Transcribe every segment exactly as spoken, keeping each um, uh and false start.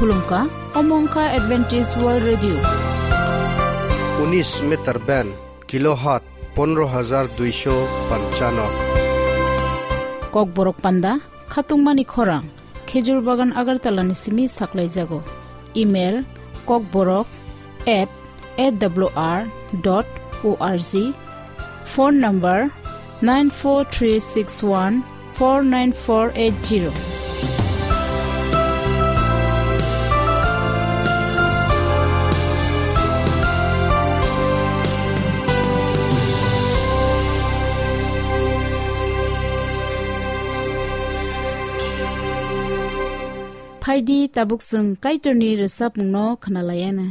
Khulumkha, omo wngkha Adventist World Radio. Unis meter band, kilohertz pondro hajar duisho panchano. Kokborok panda, khatungmani khorang, Khejur Bagan Agartala ni simi saklaijago. Email, kokborok at A W R dot O R G. Phone number nine four three six one four nine four eight zero. Phaidi tabuk chwng Kaitorni rwchapmungno khwnalaiana.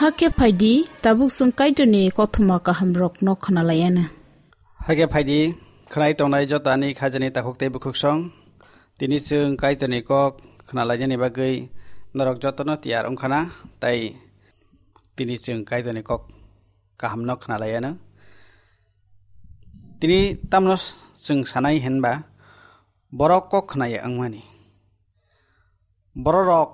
Hakhe phaidi, tabuk chwng Kaitorni kothoma kahamrokno khwnalaiana. Hakhe phaidi, Khwnai tongnai joto ani khajani takhuk tei bukhuksong, tini chwng Kaitorni kok khwnalainani bagwi norok jotono tiyar wngkhana, tei tini chwng Kaitorni kok kahamno khwnalaianw. Tini tamno chwng sanai hinba, borok kok khwnaya wngmani. Bororok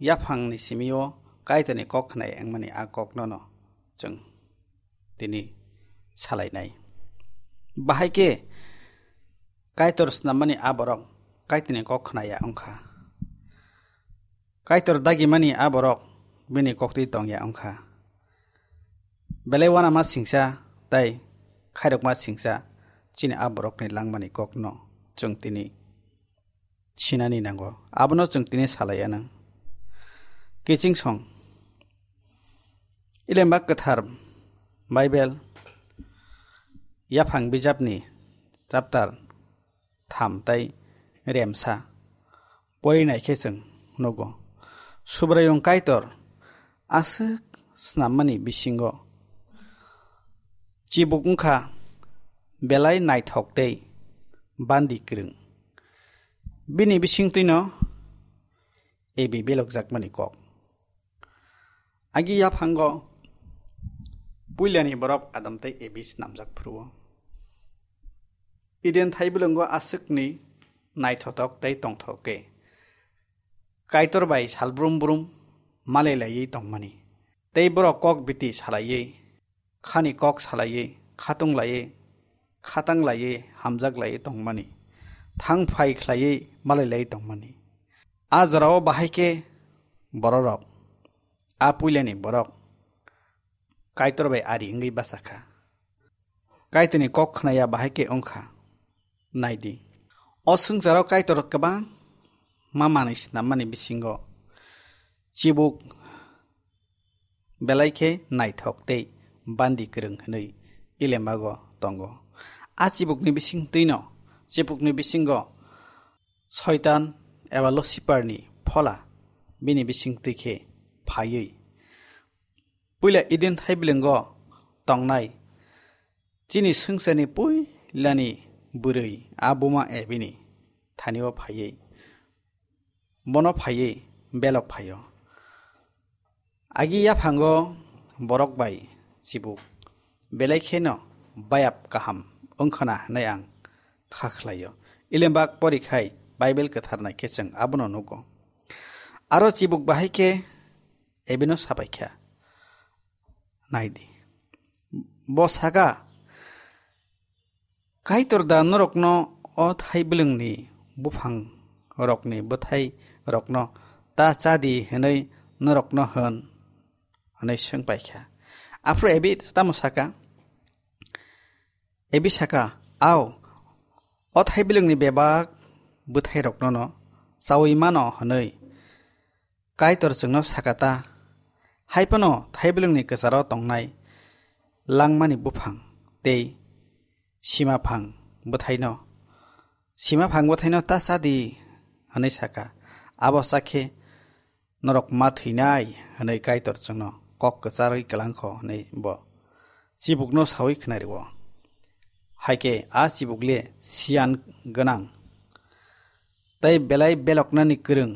yaphangni simio Kaitorni kok khwnaya wngmani a koknono chwng tini salainai. Bahai khe Kaitor snammani a borok Kaitorni kok khwnaya wngkha. Kaitor dagimani a borok bini koktwi tongya wngkha. Belai uanama singsa tei khairokma singsa chini a borokni langmani kokno chwng tini sinani nango. Abono chwng tini salaianw. Kiching song. Ilemba kwthar Bible yaphang bijapni chapter tham tei remsa porinai khe chwng nugo. Subraiyung Kaitor aswk snammani bisingo chibuk wngkha belai naithok tei bandi kwrwng. Bini bisingtwino Ebi belokjakmani kok. Agi yaphango puilani borok Adam tei Ebi snamjak phuru-o. Eden thaibilwngo aswkni naithotok tei tongthok khe Kaitor bai salbrum brum malai laiwi tongmani. Tei borok kok biti salaiwi, khani kok salaiwi, khatung laiwi, khatang laiwi, hamjak laiwi tongmani. Thang phai khlaiwi malai laiwi tongmani. A jorao bahai khe bororok, a puilani borok Kaitor bai ari wngwi bachakha. Kaitorni kok khnaya bahai khe wngkha. Naidi. O swngcharo Kaitor kwbangma manwi snammani bisingo chibuk belai khe naithok tei bandi kwrwng hwnwi Ilembago tongo. A chibukni bisingtwino, chibukni bisingo Soitan eba Luciferni phola bini bisingtwi khe phaiwi puila Eden thaibilwngo tongnai chini swngcharni puilani bwrwi a buma Ebini thanio phaiwi, bono phaiwi belok phaio. Agi yaphango borok bai chibuk belai kheno bayap kaham wngkhana hwnwi ang kha khlaio. Ilembak porikhai Bible kwthar naikhe chwng abono nugo. Aro chibuk bahai khe Ebino sabaikha. Naidi. Bo saka, Kaitor da norokno o thaibilwngni buphang rokni bwthai rokno ta chadi hwnwi norokno hwn? Hwnwi swng paikha. Aphuru Ebi tamo saka? Ebi saka, ao, o thaibilwngni bebak bwthai rokno no chawi mano hwnwi Kaitor chwngno saka ta, hai phano thaibilwngni kwcharo tongnai langmani buphang tei simaphang bwthaino, simaphang bwthaino ta cha di, hwnwi saka. Abo cha khe norok ma thwinai, hwnwi Kaitor chwngno kok kwcharwi kwlangkho, hwnwi bo chibukno saui khna rwo. Hai khe a chibuk le siyan gwnang tei belai beloknani kwrwng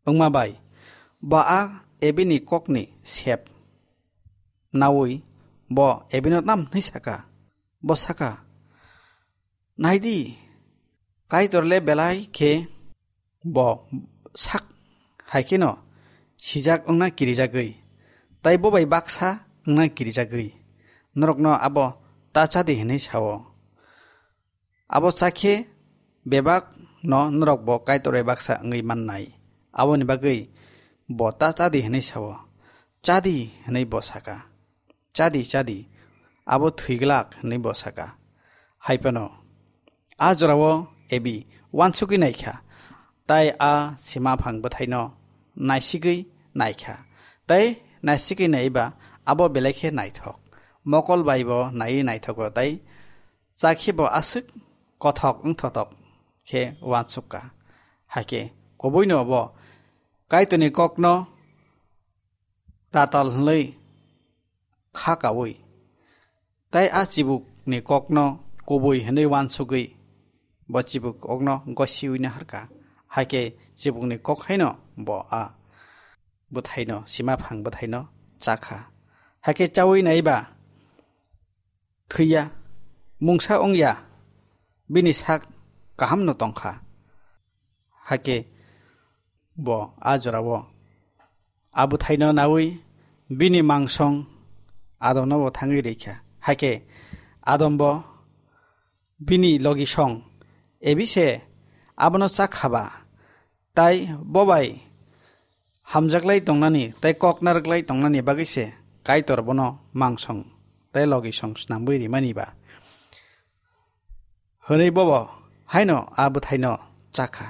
wngma bai, bo a Ebini kokni sep naui bo Ebino tamo hwnwi saka? Bo saka, "Nai di, Kaitor le belai khe bo sak hai kheno sijak wngna kirijagwi, tai bo bai baksa wngna kirijagwi, norokno abo ta cha di," hwnwi sa-o. Abo cha khe bebak no norok bo Kaitor bai baksa wngwi mannai. Aboni bagwi bo ta cha di hwnwi sa-o. "Cha di," hwnwi bo saka. "Cha di, cha di, abo thwi glak," hwnwi bo saka. Hai phano a jorao Ebi uansugwi naikha, tai a sima phang bwthaino naisigwi naikha. Tai naisigwi naiba abo belai khe naithok. Mokol bai bo naiwi naithogo tai Chakhe bo aswk kothok wngthotok khe uansuk ka. Hakhe kubuino bo Kaitorni kokno tatal hwnwi kha kaui, tai a chibukni kokno kubui hwnwi uansugwi bo chibuk kokno gosiui naharkha. Hakhe chibukni kok haino bo a bwthaino, sima phang bwthaino chakha. Hakhe chaui naiba thwiya, mungsa wngya, bini sak kahamno tongkha. Hakhe bo a jorao a bwthaino naui bini mangsong Adomno bo thangwi rikha. Hakhe Adombo bini logisong Ebi se abono chakha ba, tai bo bai hamjaklai tongnani tei kok narwklai tongnani bagwi se Kaitor bono mangsong tei logisong snamwi rimani ba, hwnwi bobo haino a bwthaino chakha.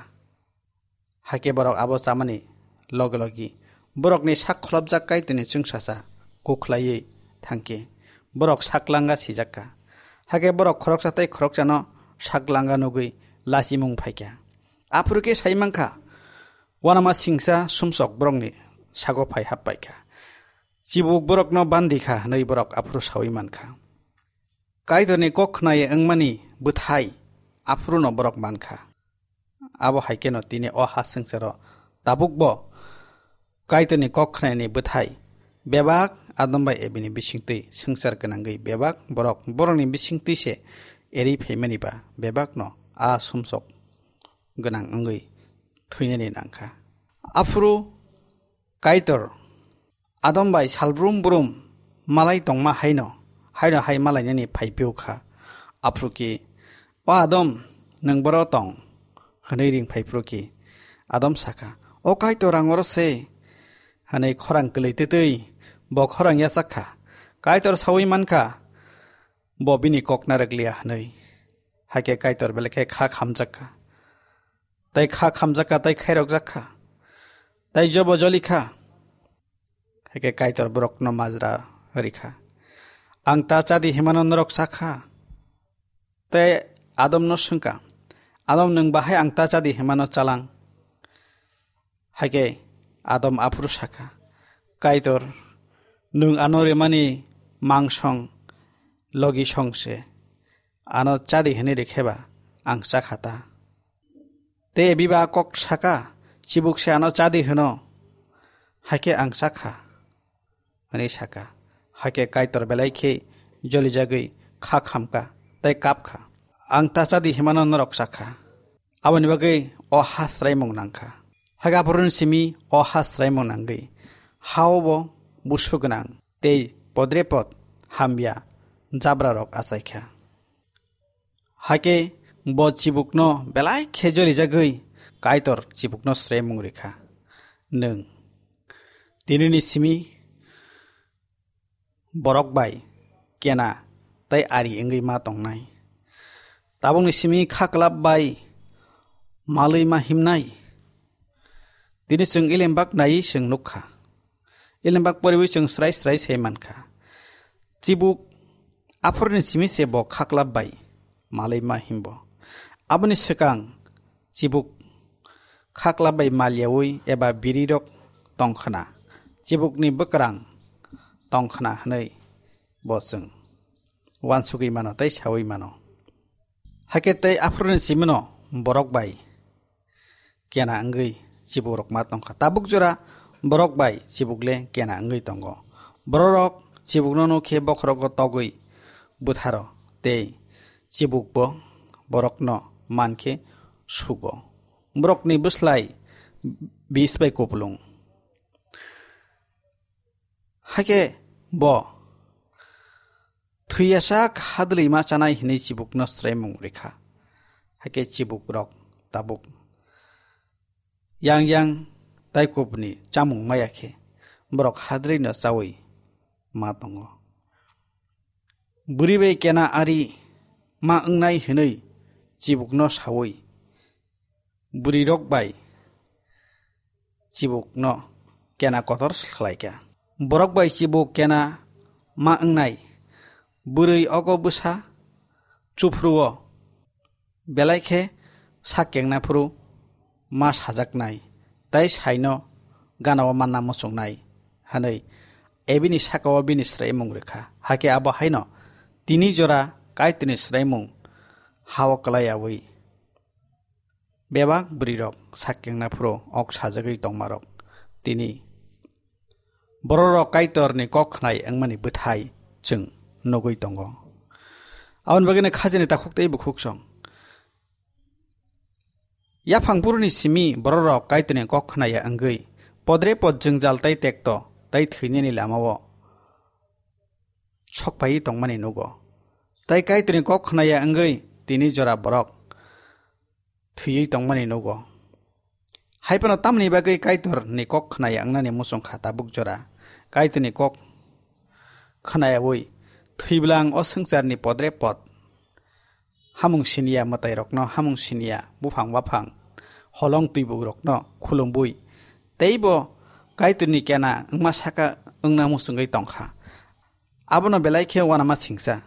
Hakhe borok abo chamani logi logi borokni sak kholopjak Kaitorni chwngsacha kuk khlaiwi thangkhe borok sak langa sijakka. Hakhe borok khoroksa tei khoroksano sak langa nugwi lachimung phaikha. Aphuru khe sai mankha, uanama singsa sumsok borokni sago phai hap paikha. Chibuk borokno bandi kha hwnwi borok aphuru saui mankha. Kaitorni kok khnaye wngmani bwthai aphuruno borok mankha. Abo hai kheno tini o ha swngcharo tabukbo Kaitorni kok khnaini bwthai bebak Adam bai Ebini bisingtwi swngchar gwnangwi bebak borok borokni bisingtwi se eri phaimani ba bebakno a sumsok gwnang wngwi thwinani nangkha. Aphuru Kaitor Adam bai salbrum brum malai tongma haino, haino hai malainani phaiphio kha. Aphuru ki, "O Adam, nwng boro tong?" hwnwi ring phaiphuru ki, Adam sakha, "O Kaitor, ang oro se," hwnwi khorang kwlwi twtwi bo khorang yachak kha. Kaitor saui mankha, bo bini kok narwk liya hwnwi. Hakhe Kaitor belai khe kha khamjak kha. Tai kha khamjak kha, tai khairokjak kha, tai jobo joli kha. Hakhe Kaitor borokno majra rikha, "Ang ta chadi himano norok chakha?" Tai Adomno swngkha, "Adam, nwng bahai ang ta chadi himano chalang?" Hakhe Adam aphuru sakha, "Kaitor, nwng ano rimani mangsong logi song se, ano chadi hwnwi rikhe ba ang chakha ta." Tei Ebi ba kok saka, "Chibuk se ano chadi hwno, hakhe ang chakha," hwnwi saka. Hakhe Kaitor belai khe jolijagwi kha khamkha tei kapkha, "Ang ta chadi himano norok chakha." Aboni bagwi o ha swraimung nangkha. Hakhe aphuruni simi o ha swraimung nangwi hao bo busu gwnang tei podrepot hamya jabrarok achaikha. Hakhe bo chibukno belai khe jolijagwi Kaitor chibukno swraimung rikha, "Nwng tinini simi borok bai kena tei ari wngwi ma tongnai. Tabukni simi kha kwlap bai malwi ma himnai. Tini chwng ilembak naiwi chwng nukha. Ilembak poriwi chwng srai srai sai mankha. Chibuk aphuruni simi se bo kha kwlap bai malwi ma himbo. Aboni swkang chibuk kha kwlap bai mal yaui eba birirok tongkhna, chibukni bwkrang tongkhna hwnwi bo chwng uansugwi mano tei saui mano." Hakhe tei aphuruni simino borok bai kena wngwi chibukrok ma tongkha. Tabuk jora borok bai chibuk le kena wngwi tongo. Bororok chibukno nukhe bokhorogo togwi bwtharo tei chibukbo borokno mankhe sugo. Borokni bwslai bis bai kupulung. Hakhe bo thwiyasak hadlwi ma chanai hwnwi chibukno swraimung rikha. Hakhe chibukrok tabuk yang yang tai kubuni chamung maya khe borok hadlwino chaui ma tongo. Bwrwi bai kena ari ma wngnai hwnwi chibukno saui bwrwirok bai chibukno kena kotor khlaikha. Borok bai chibuk kena ma wngnai bwrwi ogo bwsa chuphruo belai khe sak kengna phuru ma sajaknai tei saino ganao manna muchungnai hwnwi Ebini sakao bini swraimung rwkha. Hakhe abo haino tini jora Kaitorni swraimung ha-o kwlaiyaui bebak bwrwirok sak kengna phuru ok sajagwi tongmarok tini bororok Kaitorni kok khnai wngmani bwthai chwng nugwi tongo. Aboni bagwino khajani takhuk tei bukhuk song. Yaphang phuruni simi bororok Kaitorni kok khnaya wngwi podre pod jwngjal tei tekto tei thwinani lamao sokpaiwi tongmani nugo. Tei Kaitorni kok khnaya wngwi tini jora borok thwiwi tongmani nugo. Hai phano tamni bagwi Kaitorni kok khnaya wngnani muchung kha tabuk jora? Kaitorni kok khnayaui thwiblang o swngcharni podre pod hamung siniya mwtairokno, hamung siniya buphang baphang holong twibukrokno khulumwi teibo Kaitorni kena wngma saka wngna muchungwi tongkha. Abono belai khe uanama singcha.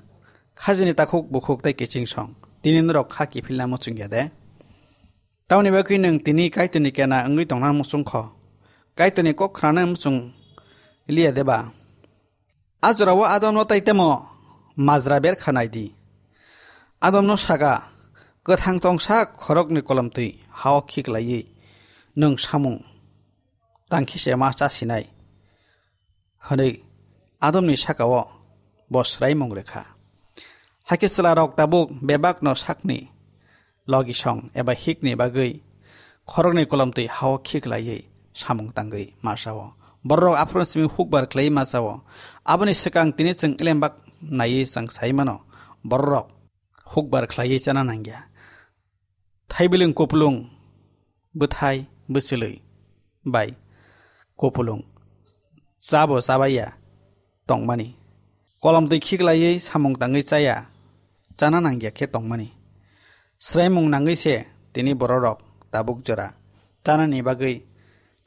Khajini takhuk bukhuk tei kiching song. Tini norok kha kiphilna muchungya de? Tamoni bagwi nwng tini Kaitorni kena wngwi tongna muchungkho? Kaitorni kok khnana muchung liya de ba? A jorao Adomno tei temo majra berkha nai di. Adomno saga, kwthang tongsa khorokni kolomtwi ha-o khiklaiwi nwng samung tangkhe se ma chasinai, hwnwi Adomni sakao bo swraimung rwkha. Hakhe chwlarok tabuk bebakno sakni logisong eba hikni bagwi khoroknwi kolomtwi ha-o khiklaiwi samung tangwi ma cha-o. Bororok aphuru simi hukbar khlaiwi ma cha-o. Aboni swkang tini chwng elembak naiwi chwng sai mano, bororok hukbar khlaiwi chana nangya. Thaibilwng kupulung bwthai bwchwlwi bai kupulung chabo chabaiya tongmani, kolomtwi khiklaiwi samung tangwi chaya, chana nangya khe tongmani. Swraimung nangwi se tini bororok tabuk jora chanani bagwi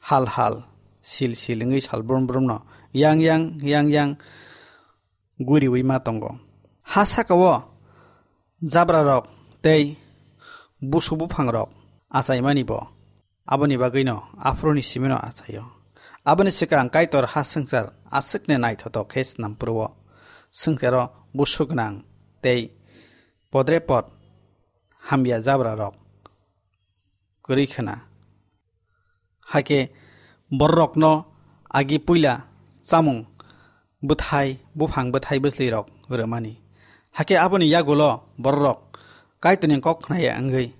hal hal sil sil wngwi sal brum brumno yang yang yang yang guriwi ma tongo. Ha sakao jabrarok tei busu buphangrok achaimani bo aboni bagwino aphuruni simino achaio. Aboni swkang Kaitor ha swngchar aswkni naithotok khe snam phuru-o, swngcharo busu gwnang tei podre pod hamya jabrarok kwrwi khna. Hakhe bororokno agi puila chamung bwthai, buphang bwthai bwchlwirok rwmani. Hakhe aboni yagulo bororok Kaitorni kok khnaya wngwi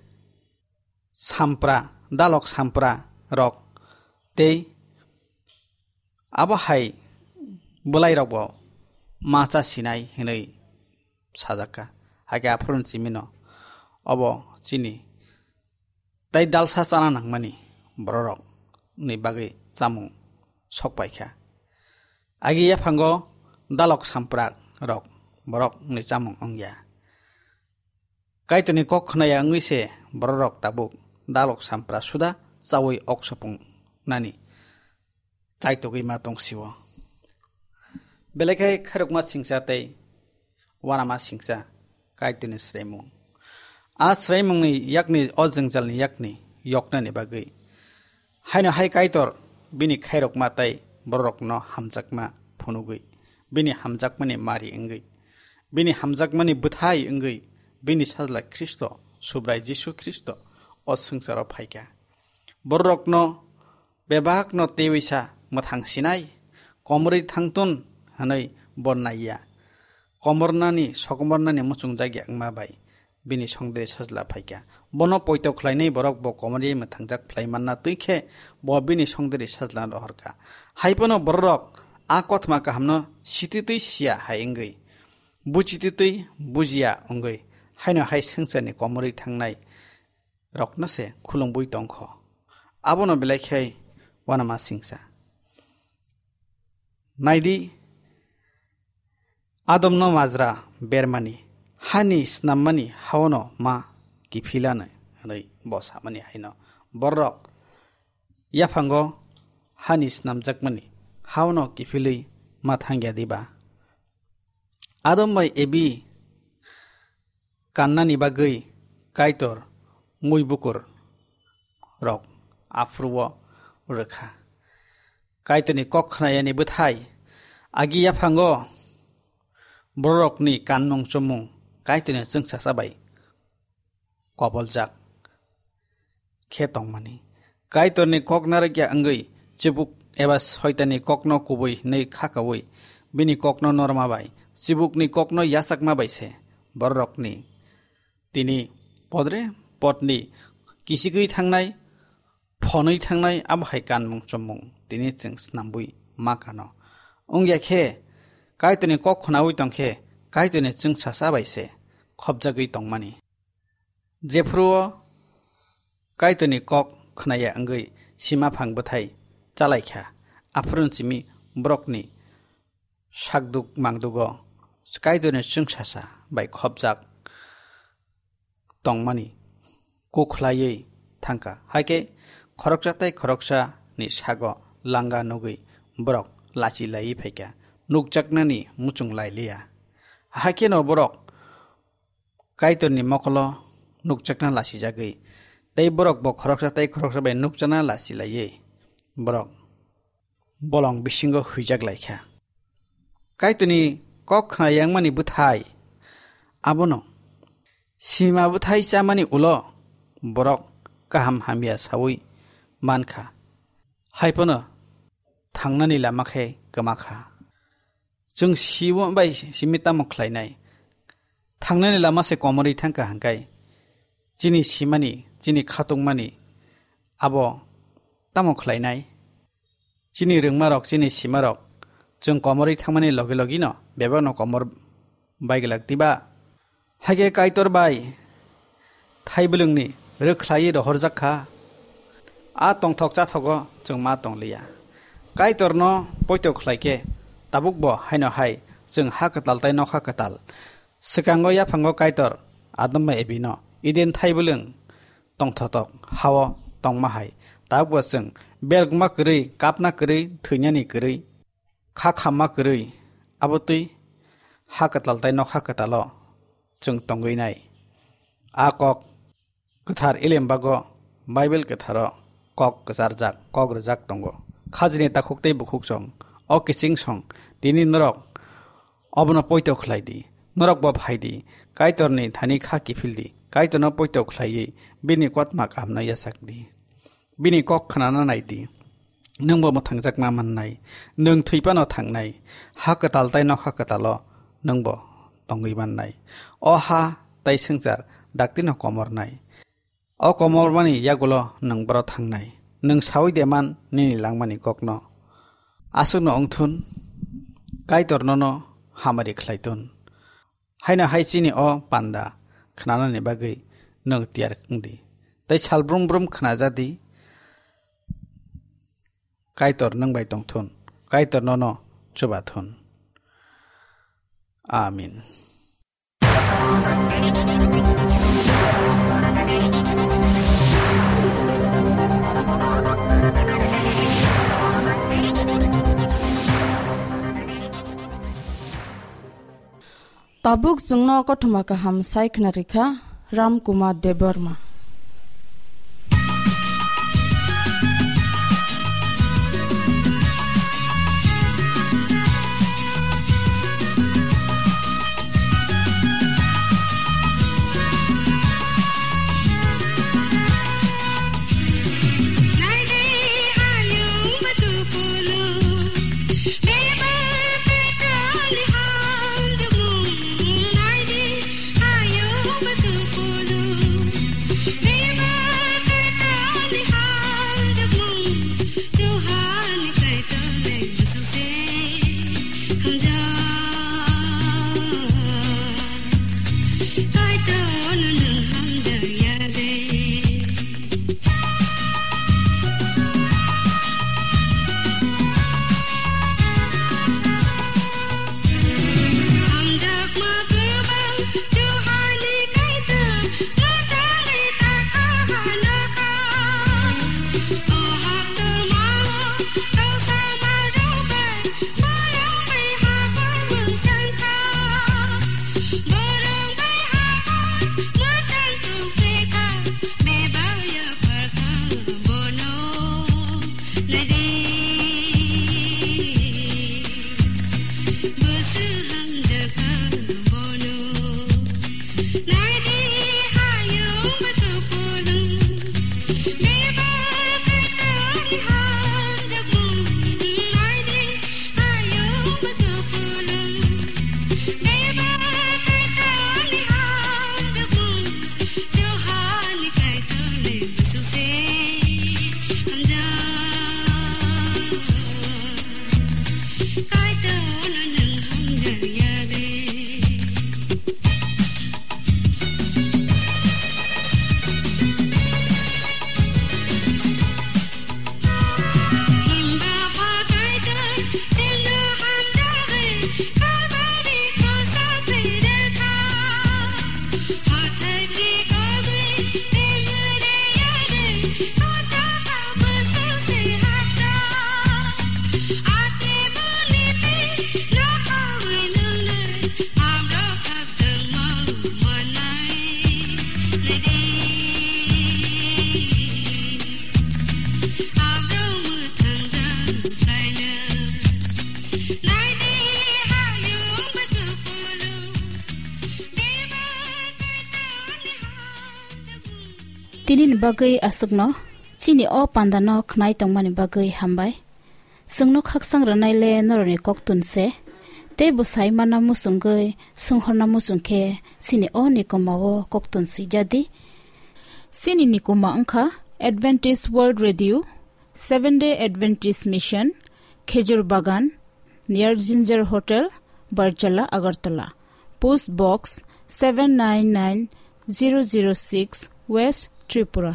sampra, dalok sampra rok tei abo hai bwlairokbo ma cha sinai hwnwi sajakha. Hakhe aphuruni simino obo chini tei dalsa chana nangmani bororokni bagwi chamung sok paikha. Agi yaphango dalok samprak rok borokni chamung wngya. Kaitorni kok khnaya wngwi se bororok tabuk dalok sampra suda chaui ok sopung nani chaitogwi ma tong sio. Belai khe khairokma singcha tei uanama singcha Kaitorni swraimung. A swraimungni yakni, o jwngjalni yakni yoknani bagwi haino hai Kaitor bini khairokma tei bororokno hamjakma phunugwi, bini hamjakmani mari wngwi, bini hamjakmani bwthai wngwi, bini sajla Khristo, Subrai Jisu Khristo o swngcharo phaikha. Bororokno bebakno teiwisa mwthang sinai, komorwi thangtun hwnwi bo naiya. Komornani, sokomornani muchungjagya wngma bai bini songdiri sajla phaikha. Bono poito khlainai borok bo komorwi mwthangjak phlai manna twi khe bo bini songdiri sajla rohorkha. Hai phano bororok a kothoma kahamno sititwi siya hai wngwi, buchititwi bujiya wngwi, haino hai swngcharni komorwi thangnai rokno se khulumwi tongkho. Abono belai khe uanama singcha. Naidi, Adomno majra bermani, hani snammani haono ma kiphilano hwnwi bo samani haino bororok yaphango hani snamjakmani haono kiphilwi ma thangya diba? Adam bai Ebi kannani bagwi Kaitor mui bukur rok aphuru-o rwkha. Kaitorni kok khnayani bwthai agi yaphango bororokni kanmung chumung Kaitorni chwngsacha bai koboljak khe tongmani. Kaitorni kok narwkya wngwi chibuk eba Soitanni kokno kubui hwnwi khakaui bini kokno norma bai, chibukni kokno yachakma bai se bororokni tini podre podni kichigwi thangnai, phonwi thangnai abo hai kanmung chomung tini chwng snambui ma kano. Wngya khe Kaitorni kok khnaui tong khe Kaitorni chwngsasa bai se khopjagwi tongmani. Jephuru o Kaitorni kok khnaya wngwi sima phang bwthai chalaikha, aphuru simi borokni sakduk mangdugo Kaitorni chwngsasa bai khopjak tongmani kukhlaiwi thangkha. Haikhe khoroksa tei khoroksa ni sago langa nugwi borok lachi laiwi phaikha, nukjaknani muchung lailiya. Haikheno borok Kaitorni mokolo nukjakna lasijagwi, tei borok bo khoroksa tei khoroksa bai nukjakna lachi laiwi borok bolong bisingo huijak laikha. Kaitorni kok khna yangmani bwthai abono sima bwthai chamani ulo borok kaham hamya saui mankha. Haiphano thangnani lama khe kwma kha. Chwng simo bai simi tamo khlainai? Thangnani lama se komorwi thangkha hangkai chini simani, chini khatungmani abo tamo khlainai? Chini rwngmarok, chini simarok chwng komorwi thangmani logi logino bebakno komor bai glak diba? Haikhe Kaitor bai thaibilwngni rwkhlaiwi rohorjak kha. A tongthok chathogo chwng ma tongliya. Kaitorno poito khlaikhe tabukbo haino hai chwng ha kwtal tei nokha kwtal. Swkango yaphango Kaitor Adam bai Evi no Eden thaibilwng tongthotok hao tongma hai. Tabukbo chwng bergma kwrwi, kapna kwrwi, thwinani kwrwi, kha khamma kwrwi, abotwi ha kwtal tei nokha kwtalo chwng tongwi nai. A kok kwthar elembago Bible kwtharo kok kwcharjak, kok rwjak tongo. Khajini takhuk tei bukhuk song, o kiching song, tini norok obono poito khlai di. Norok bo phai di, Kaitorni thani kha kiphil di, Kaitorno poito khlaiwi bini kotma kahamno yachak di. Bini kok khnana nai di. Nwng bo mwthangjakma mannai. Nwng thwi phano thangnai. Ha kwtal tei nokha kwtalo nwng bo tongwi mannai. O ha tei swngchar daktino komornai. O komormani yagulo nwng boro thangnai. Nwng saui de man nini langmani kokno. Aswkno wngthun, Kaitor nono hamari khlai thun. Haino hai chini o panda khnanani bagwi nwng tiyar wng di. Tei sal brum brum khna ja di, Kaitor nwng bai tong thun, Kaitor nono chuba thun. Amen. Tabuk chwngno kothoma kaham sai khna rikha Ram Kumar Debbarma. Nini bagwi aswkno chini o pandano khnai tongmani bagwi hambai. Chwngno khaksang rwnaile norokni koktun se. Tei bo sai manna muchungwi, swnghorna muchung khe chini o nikoma o koktun swijadi. Chini nikoma wngkha Adventist World Radio, Seventh Day Adventist Mission, Khejur Bagan, near Ginger Hotel, Barjala, Agartala. Post Box seven nine nine zero zero six, West Tripura.